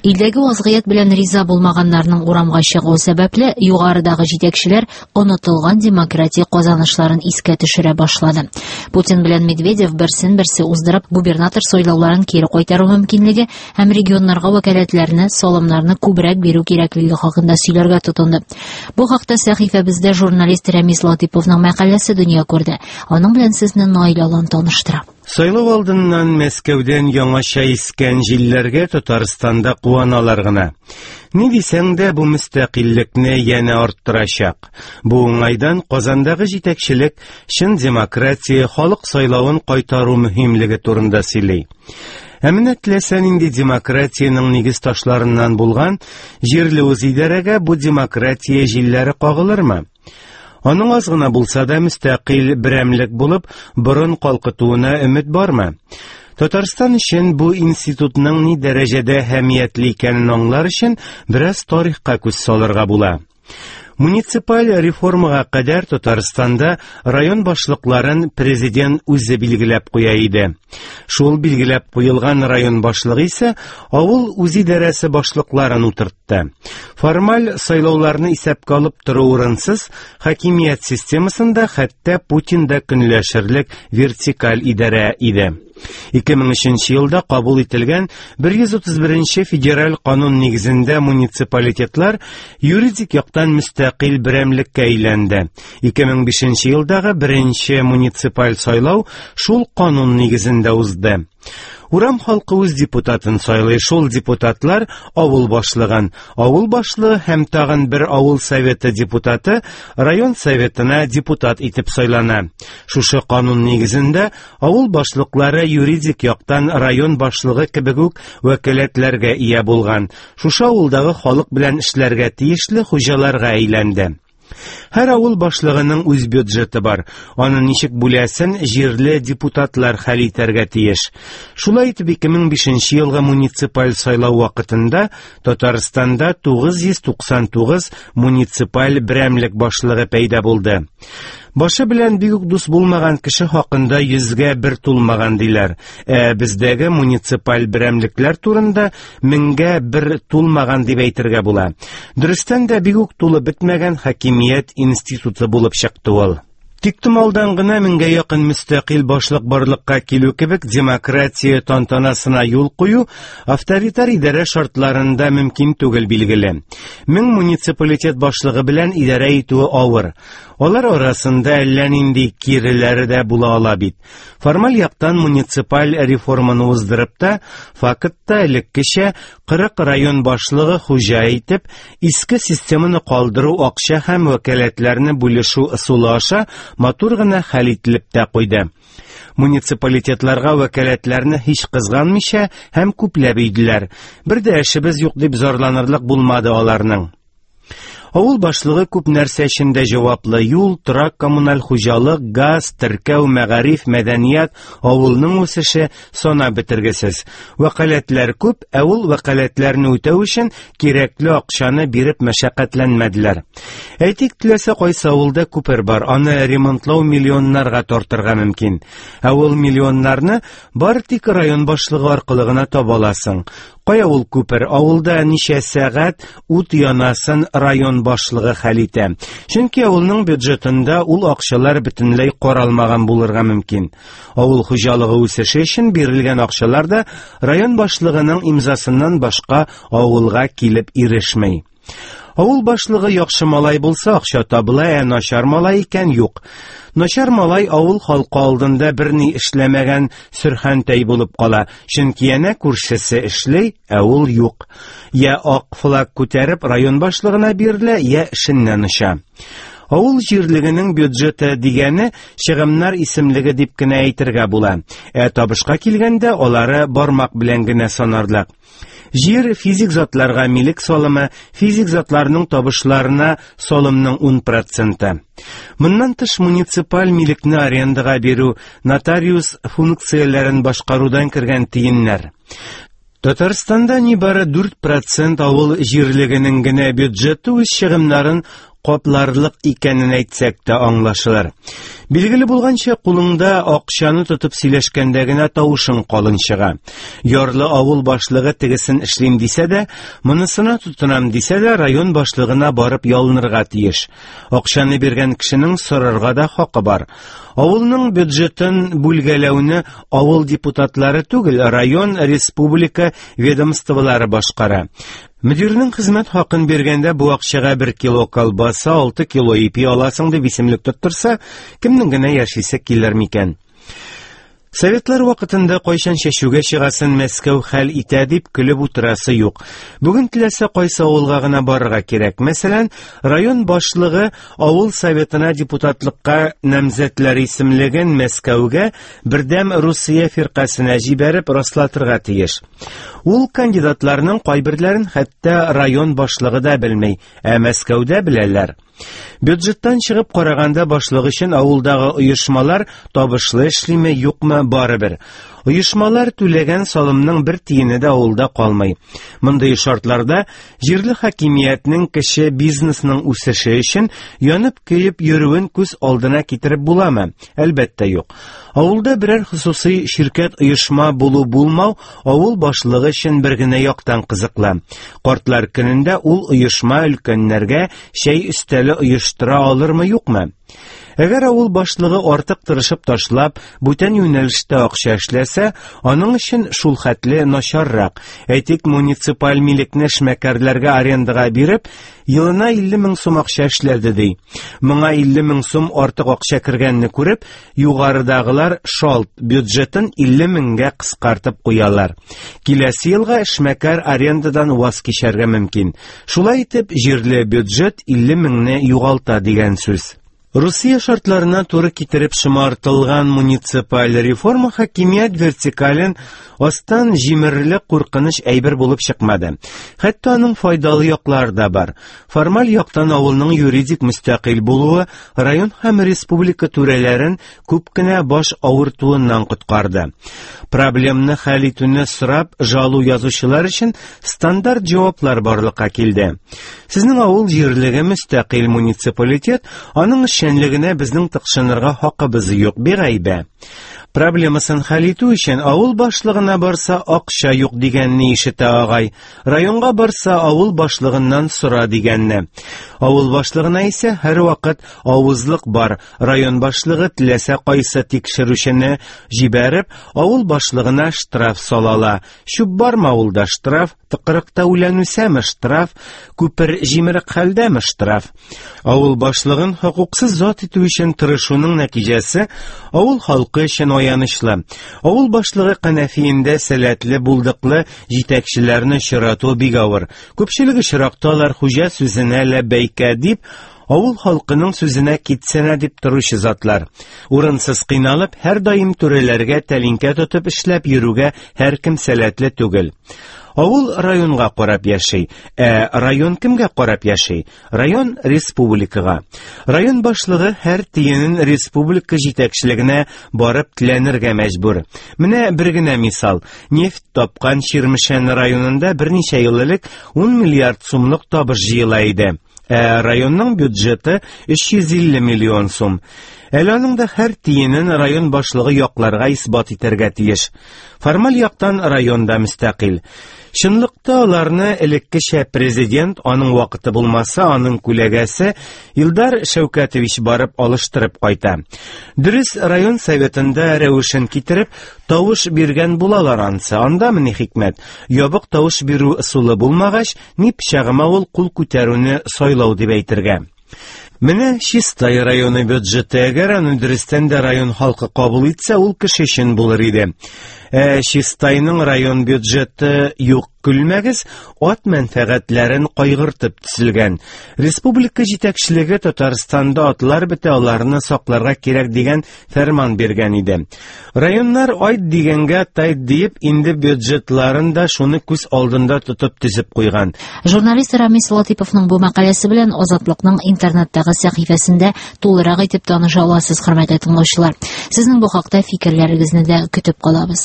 Илдәге вазгыять белән риза булмаганнарның урамга чыгуы сәбәпле, югарыдагы җитәкчеләр онытылган демократия казанышларын искә төшерә башлады. Путин белән Медведев берсен-берсе уздырып, губернатор сайлауларын кире кайтару мөмкинлеге һәм регионнарга вәкаләтләрне, салымнарны күбрәк бирү кирәклеге хакында сөйләргә тотынды. Бу хакта сәхифәбездә журналист Рәмис Латыйповның мәкаләсе дөнья күрде. Аның белән сезне Наил Алан таныштыра. Сайлау алдыннан Мәскәүдән яңача искән җилләргә Татарстанда куаналар гына. Ни дисәң дә, бу мөстәкыйльлекне янә арттырачак. Бу уңайдан Казандагы җитәкчелек чын демократия, халык сайлавын кайтару мөһимлеге турында сөйли. Ә менә теләсә нинди демократиянең нигез ташларыннан булган җирле үзидарәгә бу демократия җилләре кагылырмы? Аның аз гына булса да мөстәкыйль берәмлек булып, борын калкытуына өмет бармы? Татарстан өчен бу институтның ни дәрәҗәдә әһәмиятле икәнен аңлар өчен бераз тарихка күз салырга була. Муниципаль реформага кадәр Татарстанда район башлыкларын президент үзе билгеләп куя иде. Шул билгеләп куелган район башлыгы исә авыл үзидарәсе башлыкларын утыртты. Формаль сайлауларны исәпкә алып тору урынсыз, хакимият системасында хәтта Путин да көнләшерлек вертикаль идарә иде. 2003 елда кабул ителгән 131 федераль канун нигезендә муниципалитетлар юридик яктан мөстәкыйль берәмлеккә әйләнде. 2005 елдагы беренче муниципаль сайлау шул канун нигезендә узды. Урам халкы үз депутатын сайлый, шул депутатлар авыл башлыгын, авыл башлыгы һәм тагын бер авыл советы депутаты район советына депутат итеп сайлана. Шушы канун нигезендә Авыл башлыклары юридик яктан район башлыгы кебек үк вәкаләтләргә ия булган, шушы авылдагы халык белән эшләргә тиешле хуҗаларга әйләнде. Һәр авыл башлыгының үз бюджеты бар. Аны ничек бүләсен җирле депутатлар хәл итәргә тиеш. Шулай итеп 2005 елгы муниципаль сайлау вакытында Татарстанда 999 муниципаль берәмлек башлыгы пәйда булды. Башы белән бик үк дус булмаган кеше хакында йөзгә бер тулмаган диләр. Ә бездәге муниципаль берәмлекләр турында меңгә бер тулмаган дип әйтергә була. Дөрестән дә бик үк тулып бетмәгән хакимият институты булып чыкты ул. Тиктомалдан гына меңгә якын мөстәкыйль башлык барлыкка килү кебек демократия тантанасына юл кую авторитар идарә шартларында мөмкин түгел билгеле. Мең муниципалитет башлыгы белән идарә итүе авыр. Алар арасында әллә нинди киреләре дә була ала бит. Формаль яктан муниципаль реформаны уздырып та, фактта элеккечә 40 район башлыгы хуҗа итеп, иске системаны калдыру акча һәм вәкаләтләрне бүлешү ысулы аша матур гына хәл ителеп тә куйды. Муниципалитетларга вәкаләтләрне һич кызганмыйча һәм күпләп өйделәр. Бер дә эшебез юк дип зарланырлык булмады аларның. Авыл башлыгы күп нәрсә өчен дә җаваплы: юл, торак, коммуналь хуҗалык, газ, теркәү, мәгариф, мәдәният, авылның үсеше санап бетергесез. Вәкаләтләр күп, ә ул вәкаләтләрне үтәү өчен кирәкле акчаны биреп мәшәкатьләнмәделәр. Әйтик, теләсә кайсы авылда күпер бар, аны ремонтлау миллионнарга тартырга мөмкин. Ә ул миллионнарны бары тик район башлыгы аркылы гына таба аласың. Кая ул күпер? Авылда ничә сәгать ут янасын район башлыгы хәл итә. Чөнки авылның бюджетында ул акчалар бөтенләй каралмаган булырга мөмкин. Авыл хуҗалыгы үсеше өчен бирелгән акчалар да район башлыгының имзасыннан башка авылга килеп ирешми. Авыл башлыгы яхшы малай булса, акча табыла, ә начар малай икән юк. Начар малай авыл халкы алдында берни эшләмәгән сөрхәнтәй булып кала, чөнки әнә күршесе эшли, ә ул юк. Я ак флаг күтәреп район башлыгына бирелә, я эшеннән оча. Авыл җирлегенең бюджеты дигәне чыгымнар исемлеге дип кенә әйтергә була. Ә табышка килгәндә, алары бармак белән генә санарлык. Җир физик затларга милек салымы, физик затларның табышларына салымның 10 проценты. Моннан тыш муниципаль милекне арендага бирү, нотариус функцияләрен башкарудан кергән тиеннәр. Татарстанда нибары 4 процент авыл җирлегенең генә бюджеты үз чыгымнарын капларлык икәнен әйтсәк тә аңлашылыр. Билгеле булганча, кулыңда акчаны тотып сөйләшкәндә генә тавышың калын чыга. Ярлы авыл башлыгы тегесен эшлим дисә дә, монысына тотынам дисә дә, район башлыгына барып ялынырга тиеш. Акчаны биргән кешенең сорарга да хакы бар. Авылның бюджетын бүлгәләүне авыл депутатлары түгел, район, республика ведомстволары башкара. Мөдирнең хезмәт хакын биргәндә бу акчага 1 кило колбаса, 6 кило ипи аласың дип исемлек тоттырса, кемнең генә яшисе килер микән? Советлар вакытында кайчан чәчүгә чыгасын Мәскәү хәл итә дип көлеп утырасы юк. Бүген теләсә кайсы авылга гына барырга кирәк. Мәсәлән, район башлыгы авыл советына депутатлыкка намзәтләр исемлеген Мәскәүгә Бердәм Русия фиркасенә җибәреп раслатырга тиеш. Ул кандидатларның кайберләрен хәтта район башлыгы да белми, ә Мәскәүдә беләләр. Бюджеттан чыгып караганда башлык өчен авылдагы оешмалар табышлы эшлиме, юкмы, барыбер. Оешмалар түләгән салымның бер тиене дә авылда калмый. Мондый шартларда җирле хакимиятнең кече бизнесның үсеше өчен янып-көеп йөрүен күз алдына китереп буламы? Әлбәттә, юк. Авылда берәр хосусый ширкәт оешма булу-булмау авыл башлыгы өчен бер генә яктан кызыклы. Картлар көнендә ул оешма өлкәннәргә чәй өстәле оештыра алырмы, юкмы? Әгәр авыл башлыгы артык тырышып ташлап, бүтән юнәлештә акча эшләсә, аның өчен шул хәтле начаррак. Әйтик, муниципаль милекне эшмәкәрләргә арендага биреп, елына 50 мең сум акча эшләде ди. Моңа 50 мең сум артык акча кергәнне күреп, югарыдагылар шалт бюджетын 50 меңгә кыскартып куялар. Киләсе елга эшмәкәр арендадан ваз кичәргә мөмкин. Шулай итеп, җирле бюджет 50 меңне югалта дигән сүз. Русия шартларына туры китереп шомартылган муниципаль реформа хакимият вертикален астан җимерерлек куркыныч әйбер булып чыкмады. Хәтта аның файдалы яклары да бар. Формаль яктан авылның юридик мөстәкыйль булуы район һәм республика түрәләрен күп кенә баш авыртуыннан коткарды. Проблемны хәл итүне сорап жалу язучылар өчен стандарт җаваплар барлыкка килде. Сезнең авыл җирлеге мөстәкыйль муниципалитет, аның эшчәнлегенә безнең тыкшынырга хакыбыз юк, бигайбә. Проблемасын хәл итү өчен авыл башлыгына барса акча юк дигәнне ишетә агай. Районга барса авыл башлыгыннан сора дигәнне. Авыл башлыгына исә һәрвакыт авызлык бар. Район башлыгы теләсә кайсы тикшерүчене җибәреп, авыл башлыгына штраф салала. Чүп бармы авылда штраф, тыкрыкта үлән үсәме штраф, күпер җимерек хәлдәме штраф. Авыл башлыгын хокуксыз зат итү өчен тырышуның нәтиҗәсе авыл халкы өчен аянычлы. Авыл башлыгы кәнәфиендә сәләтле, булдыклы җитәкчеләрне очрату бик авыр. Күпчелек очракта алар хуҗа сүзенә ләббәйкә дип, авыл халкының сүзенә китсенә дип торучы затлар. Урынсыз кыйналып, һәрдаим түрәләргә тәлинкә тотып эшләп йөрүгә һәркем сәләтле түгел. Авыл районга карап яши. Ә район кемгә карап яши? Район республикага. Район башлыгы һәр тиенен республика җитәкчелегенә барып теләнергә мәҗбүр. Менә бер генә мисал. Нефть тапкан Чирмешән районында берничә ел элек 10 миллиард сумлык табыш җыела иде. Ә районның бюджеты 350 миллион сум. Әле аның да һәр тиенен район башлыгы якларга исбат итәргә тиеш. Формаль яктан район да мөстәкыйль. Чынлыкта аларны элеккечә президент, аның вакыты булмаса, аның күләгәсе Илдар Шәүкәтович барып алыштырып кайта. Дөрес, район советында рәвешен китереп, тавыш биргән булалар ансы. Анда ни хикмәт? Ябык тавыш бирү ысулы булмагач, ни пычагыма ул кул күтәрүне сайлау дип әйтергә. Менә Чистай районы бюджеты, әгәр аны дөрестән дә район халкы кабул итсә, ул кеше өчен булыр иде. Ә Чистайның район бюджеты юк, көлмәгез, ат мәнфәгатьләрен кайгыртып төзелгән. Республика җитәкчелеге Татарстанда атлар бетә, аларны сакларга кирәк дигән фәрман биргән иде. Районнар айт дигәнгә тайт диеп, инде бюджетларын да шуны күз алдында тотып төзеп куйган. Журналист Рамис Латыйповның бу мәкаләсе белән Азатлыкның интернеттагы сәхифәсендә тулырак итеп таныша аласыз, хөрмәтле тыңлаучылар. Сезнең бу хакта фикерләрегезне дә көтеп калабыз.